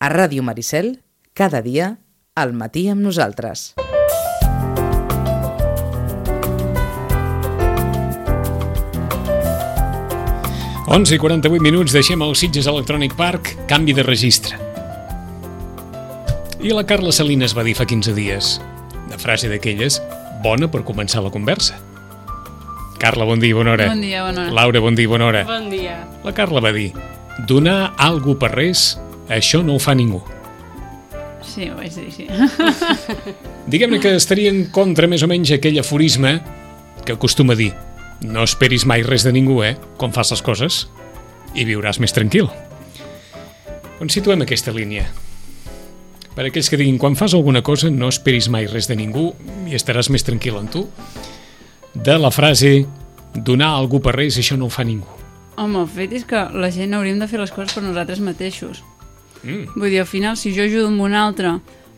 A Ràdio Maricel, cada dia, al matí amb nosaltres. Onze i 48 minuts, deixem el Sitges Electronic Park, canvi de registre. I la Carla Salinas va dir fa 15 dies, una frase d'aquelles, bona per començar la conversa. Carla, bon dia, bona hora. Bon dia, bona hora. Laura, bon dia, bona hora. Bon dia. La Carla va dir, donar algú per res, això no ho fa ningú. Sí, ho vaig dir, sí. Diguem-ne que estaria en contra més o menys aquell aforisme que acostuma a dir, no esperis mai res de ningú, quan fas les coses, i viuràs més tranquil. On situem aquesta línia? Per aquells que diguin, quan fas alguna cosa, no esperis mai res de ningú i estaràs més tranquil en tu. De la frase, donar algú per res, això no ho fa ningú. Home, el fet és que la gent hauríem de fer les coses per nosaltres mateixos. Vull dir, al final, si jo ajudo amb un altre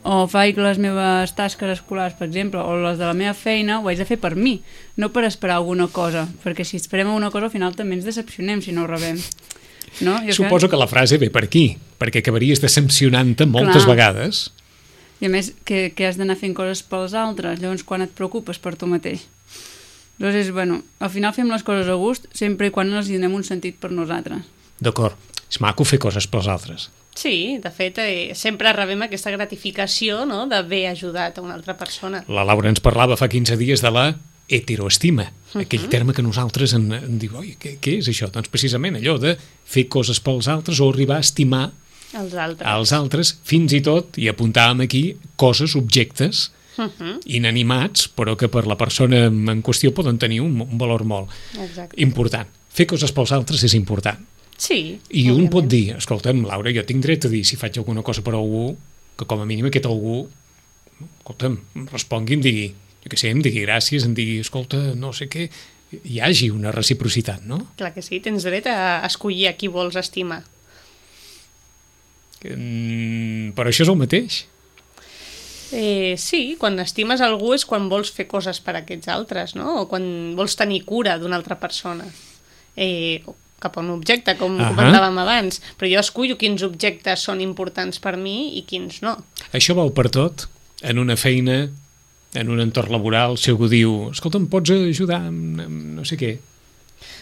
o faig les meves tasques escolars, per exemple, o les de la meva feina, ho haig de fer per mi, no per esperar alguna cosa, perquè si esperem alguna cosa al final també ens decepcionem si no ho rebem. No? Suposo que la frase ve per aquí, perquè acabaries decepcionant-te moltes vegades. I a més, que has d'anar fent coses pels altres, llavors quan et preocupes per tu mateix. Llavors, al final fem les coses a gust sempre i quan les donem un sentit per nosaltres. D'acord, és maco fer coses pels altres. Sí, de fet, sempre rebem aquesta gratificació, no?, d'haver ajudat a una altra persona. La Laura ens parlava fa 15 dies de la heteroestima, aquell terme que nosaltres en diu, oi, què és això? Doncs precisament allò de fer coses pels altres o arribar a estimar als altres, fins i tot, i apuntàvem aquí, coses, objectes inanimats, però que per la persona en qüestió poden tenir un valor molt important. Fer coses pels altres és important. Sí, i un pot dir, escolta'm, Laura, jo tinc dret a dir si faig alguna cosa per algú, que com a mínim aquest algú, escolta'm, respongui, em digui, jo què sé, em digui gràcies, em digui, escolta, no sé què, hi hagi una reciprocitat, no? Clar que sí, tens dret a escollir a qui vols estimar. Però això és el mateix. Sí, quan estimes algú és quan vols fer coses per a aquests altres, no? O quan vols tenir cura d'una altra persona. Cap a un objecte, com comentàvem abans, però jo escullo quins objectes són importants per mi i quins no. Això val per tot? En una feina, en un entorn laboral, si algú diu, escolta, em pots ajudar amb no sé què?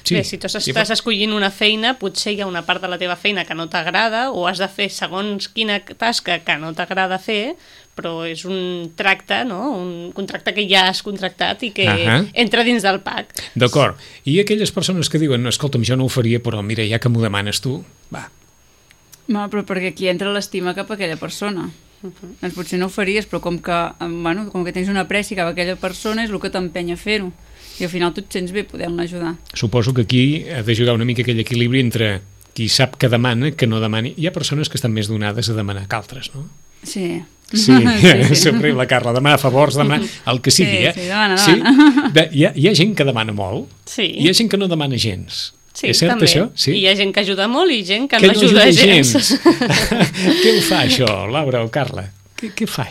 Sí. Bé, si tu estàs escollint una feina, potser hi ha una part de la teva feina que no t'agrada o has de fer segons quina tasca que no t'agrada fer, però és un tracte, no? Un contracte que ja has contractat i que entra dins del PAC. D'acord. I aquelles persones que diuen, escolta'm, jo no ho faria, però mira, ja que m'ho demanes tu, va. No, però perquè aquí entra l'estima cap a aquella persona. Doncs potser no ho faries, però com que tens una apreci cap a aquella persona és el que t'empenya a fer-ho. I al final tu et sents bé podent-la ajudar. Suposo que aquí ha de jugar una mica aquell equilibri entre qui sap que demana, que no demani. Hi ha persones que estan més donades a demanar que altres, no? Sí. Sí, sempre la Carla, demanar favors, demanar el que sigui, Sí, demana. Hi ha gent que demana molt, hi ha gent que no demana gens. Sí, és cert també. això? Sí? I hi ha gent que ajuda molt i gent que no ajuda gens. Què ho fa això, Laura o Carla? Què ho fa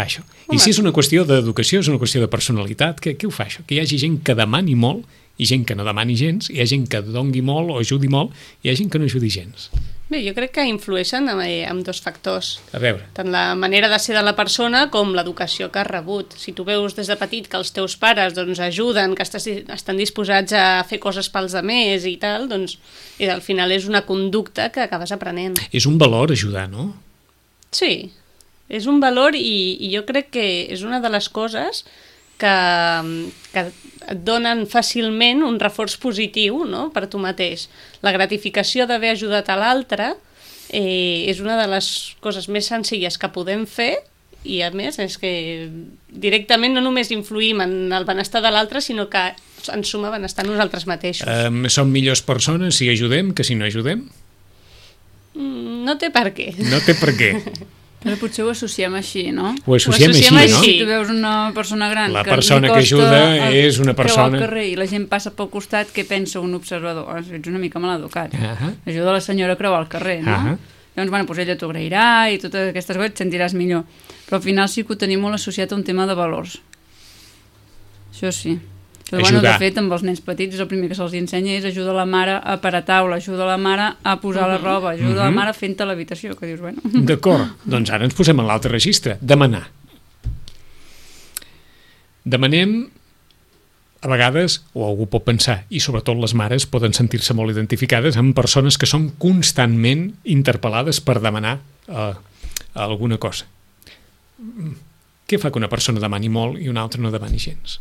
això? I si és una qüestió d'educació, és una qüestió de personalitat, què ho fa això? Que hi hagi gent que demani molt i gent que no demani gens, hi ha gent que dongui molt o ajudi molt, i hi ha gent que no ajudi gens. Bé, jo crec que influeixen amb dos factors. A veure. Tant la manera de ser de la persona com l'educació que has rebut. Si tu veus des de petit que els teus pares ajuden, que estan disposats a fer coses pels altres i tal, doncs al final és una conducta que acabes aprenent. És un valor ajudar, no? Sí, és un valor i jo crec que és una de les coses que et donen fàcilment un reforç positiu, no?, per tu mateix. La gratificació d'haver ajudat a l'altre és una de les coses més senzilles que podem fer i, a més, és que directament no només influïm en el benestar de l'altre, sinó que ens suma benestar a nosaltres mateixos. Som millors persones si ajudem que si no ajudem? No té per què. No té per què. Però potser ho associem així, no? Ho associem així, no? Si tu veus una persona gran la persona que ajuda és una persona... al carrer i la gent passa pel costat, què pensa un observador? Ets una mica maleducat. Ajuda la senyora a creuar el carrer, no? Llavors, doncs ella t'ho agrairà i totes aquestes coses et sentiràs millor. Però al final sí que ho tenim molt associat a un tema de valors. Això sí. Però, bueno, de fet, amb els nens petits el primer que se'ls ensenya és ajuda la mare a parar taula, ajuda la mare a posar la roba, ajuda la mare fent-te l'habitació, que dius, bueno... D'acord, doncs ara ens posem en l'altre registre, demanar. Demanem, a vegades, o algú pot pensar, i sobretot les mares poden sentir-se molt identificades amb persones que són constantment interpel·lades per demanar alguna cosa. Què fa que una persona demani molt i una altra no demani gens?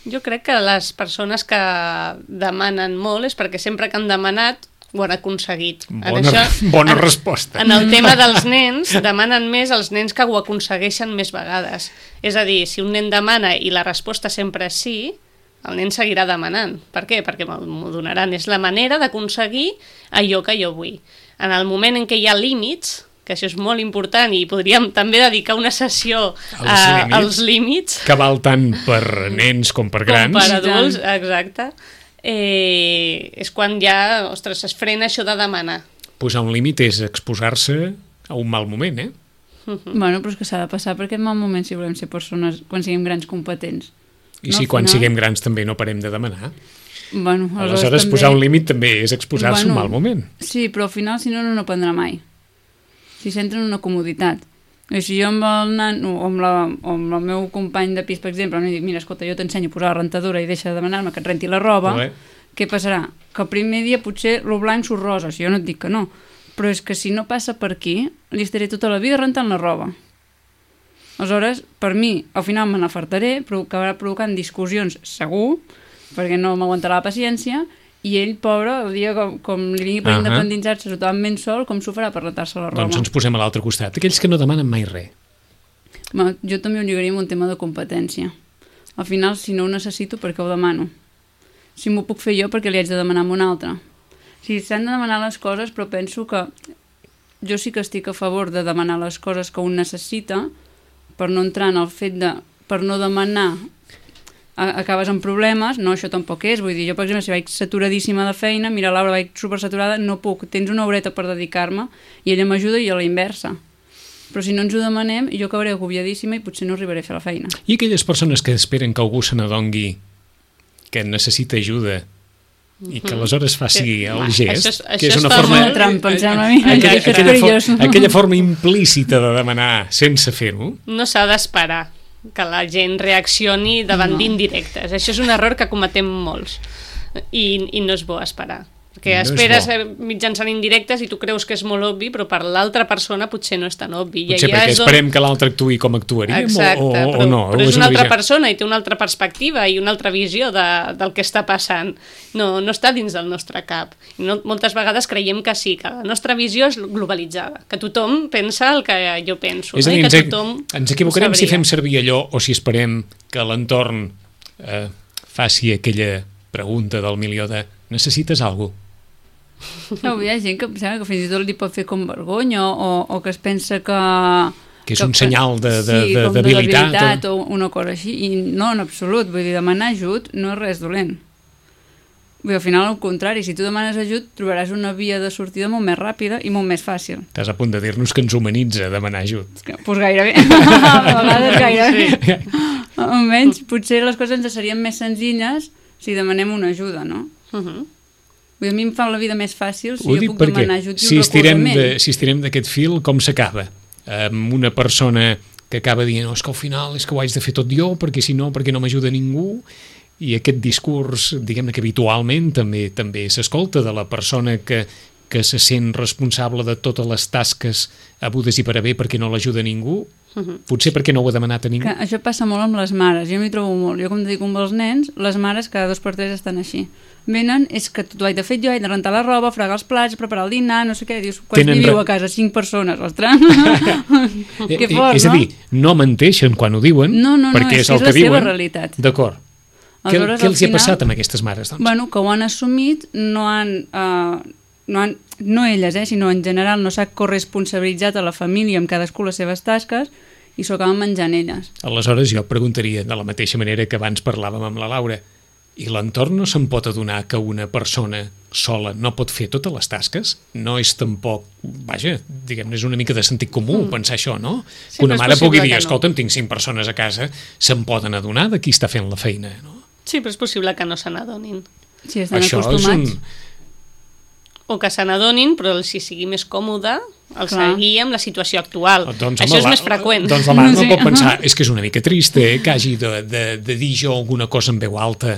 Jo crec que les persones que demanen molt és perquè sempre que han demanat ho han aconseguit. Bona resposta. En el tema dels nens, demanen més els nens que ho aconsegueixen més vegades. És a dir, si un nen demana i la resposta sempre és sí, el nen seguirà demanant. Per què? Perquè m'ho donaran. És la manera d'aconseguir allò que jo vull. En el moment en què hi ha límits, que això és molt important i podríem també dedicar una sessió als límits. Que val tant per nens com per grans. Com per adults, exacte. És quan ja, ostres, es frena això de demanar. Posar un límit és exposar-se a un mal moment, eh? Bueno, però és que s'ha de passar per aquest mal moment si volem ser persones, quan siguem grans competents. I si quan siguem grans també no parem de demanar. Bueno, aleshores posar un límit també és exposar-se a un mal moment. Sí, però al final si no aprendrà mai. Si s'entra en una comoditat. I si jo amb el nano o amb el meu company de pis, per exemple, em dic, mira, escolta, jo t'ensenyo a posar la rentadora i deixa de demanar-me que et renti la roba, què passarà? Que el primer dia potser lo blanc surt rosa, si jo no et dic que no, però és que si no passa per aquí, li estaré tota la vida rentant la roba. Aleshores, per mi, al final me n'afartaré, però acabarà provocant discussions segur, perquè no m'aguantarà la paciència, i ell, pobre, el dia com li vingui per independitzar-se totalment sol, com s'ho farà per rentar-se la roba? Doncs ens posem a l'altre costat. Aquells que no demanen mai res. Jo també ho lligaria amb un tema de competència. Al final, si no ho necessito, per què ho demano? Si m'ho puc fer jo, perquè li haig de demanar a un altre? Si s'han de demanar les coses, però penso que jo sí que estic a favor de demanar les coses que un necessita, per no entrar en el fet de, per no demanar, acabes amb problemes. No, això tampoc és, vull dir, jo per exemple si vaig saturadíssima de feina, mira Laura, vaig supersaturada, no puc, tens una horeta per dedicar-me i ella m'ajuda i a la inversa, però si no ens ho demanem jo acabaré agobiadíssima i potser no arribaré a fer la feina. I aquelles persones que esperen que algú se n'adongui que necessita ajuda i que aleshores faci el gest, que és una forma trampa, em sembla a mi, aquella forma implícita de demanar sense fer-ho. No s'ha d'esperar que la gent reaccioni davant d'indirectes. Això és un error que cometem molts i no és bo esperar. Perquè esperes mitjançant indirectes i tu creus que és molt obvi, però per l'altra persona potser no és tan obvi. Potser perquè esperem que l'altre actuï com actuaríem o no. Però és una altra persona i té una altra perspectiva i una altra visió del que està passant. No està dins del nostre cap. Moltes vegades creiem que sí, que la nostra visió és globalitzada, que tothom pensa el que jo penso. És a dir, ens equivocarem si fem servir allò o si esperem que l'entorn faci aquella pregunta del milió de necessites alguna cosa? No, hi ha gent que sembla que fins i tot li pot fer com vergonya o que es pensa que és un senyal de debilitat o una cosa així, i no, en absolut, vull dir, demanar ajut no és res dolent. Vull dir, al final al contrari, si tu demanes ajut trobaràs una via de sortida molt més ràpida i molt més fàcil. Estàs a punt de dir-nos que ens humanitza demanar ajut. Doncs gairebé, a vegades gairebé. Almenys, potser les coses ens serien més senzilles si demanem una ajuda, no? A mi em fa la vida més fàcil si jo puc demanar ajut i un recolzament. Si estirem d'aquest fil, com s'acaba? Amb una persona que acaba dient és que al final és que ho haig de fer tot jo perquè si no, perquè no m'ajuda ningú, i aquest discurs, diguem-ne que habitualment també s'escolta de la persona que se sent responsable de totes les tasques hagudes i per haver perquè no l'ajuda ningú, potser perquè no ho ha demanat a ningú. Això passa molt amb les mares, jo m'hi trobo molt. Jo com dedico amb els nens, les mares cada 2 per 3 estan així. Venen, és que tot ho haig de fer jo, haig de rentar la roba, fregar els plats, preparar el dinar, no sé què, dius, quants viviu a casa? 5 persones, ostres! Que fort, no? És a dir, no menteixen quan ho diuen, perquè és el que diuen. No, és la seva realitat. D'acord. Què els hi ha passat amb aquestes mares, doncs? Bueno, que ho han assumit, no elles, sinó en general no s'ha corresponsabilitzat a la família amb cadascú les seves tasques i s'ho acaben menjant elles. Aleshores jo preguntaria, de la mateixa manera que abans parlàvem amb la Laura, i l'entorn no se'n pot adonar que una persona sola no pot fer totes les tasques? No és tampoc, vaja, diguem-ne, és una mica de sentit comú pensar això, no? Sí, que una mare pugui dir, escolta'm, tinc 5 persones a casa, se'n poden adonar de qui està fent la feina, no? Sí, però és possible que no se n'adonin. Si estan Això acostumats. O que se n'adonin, però si sigui més còmode, el seguir amb la situació actual. Doncs, això és més freqüent. Doncs la mare no pot pensar, és que és una mica trist que hagi de dir jo alguna cosa en veu alta.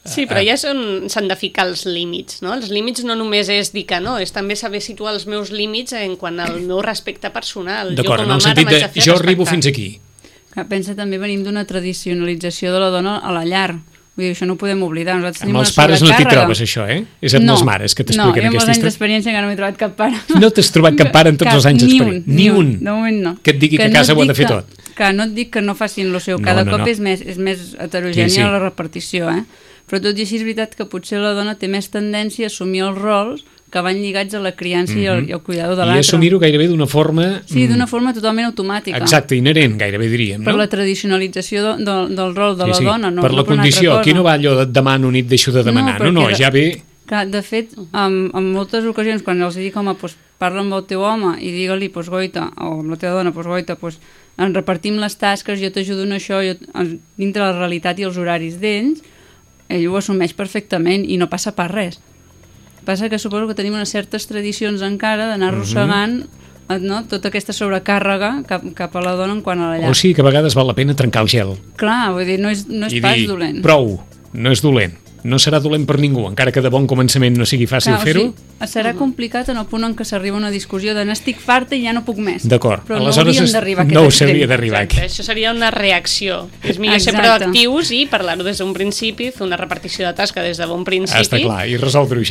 Sí, però ja s'han de ficar els límits, no? Els límits no només és dir que no, és també saber situar els meus límits en quant al meu respecte personal. D'acord, en el sentit de jo arribo fins aquí. Pensa, també venim d'una tradicionalització de la dona a la llar. Vull dir, això no ho podem oblidar. Amb els pares no t'hi trobes, això, eh? És amb les mares que t'expliquen aquesta història. No, jo amb els anys d'experiència encara no m'he trobat cap pare. No t'has trobat cap pare en tots els anys d'experiència? Ni un. De moment no. Que et digui que a casa ho ha de fer tot. Que no et dic que no facin el seu. Cada cop és més heterogènia la repartició, eh? Però tot i així és veritat que potser la dona té més tendència a assumir els rols que van lligats a la criança i al cuidador de l'altre. I assumir-ho gairebé d'una forma... Sí, d'una forma totalment automàtica. Exacte, inherent, gairebé diríem, no? Per la tradicionalització del rol de la dona, no? Per la condició, aquí no va allò de demano nit deixo de demanar, no, ja ve... De fet, en moltes ocasions, quan els dic, home, parla amb el teu home i digue-li, goita, o amb la teva dona, goita, en repartim les tasques, jo t'ajudo en això, dintre la realitat i els horaris d'ells, ell ho assumeix perfectament i no passa per res. Passa que suposo que tenim unes certes tradicions encara d'anar arrossegant tota aquesta sobrecàrrega cap a la dona en quant a la llar. O sigui que a vegades val la pena trencar el gel. Clar, vull dir, no és pas dolent. Prou, no és dolent. No serà dolent per ningú, encara que de bon començament no sigui fàcil fer-ho. Serà complicat en el punt en què s'arriba a una discussió de n'estic farta i ja no puc més. D'acord. Però no hauríem d'arribar a aquest extrem. No s'hauria d'arribar aquí. Això seria una reacció. És millor ser proactius i parlar-ho des d'un principi, fer una repartició de tasca des de bon principi. Està clar, i resoldre-ho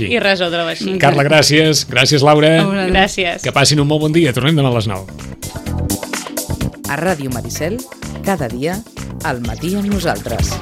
així. Carla, gràcies. Gràcies, Laura. Gràcies. Que passin un molt bon dia. Tornem demà a les 9. A Ràdio Maricel, cada dia, al matí amb nosaltres.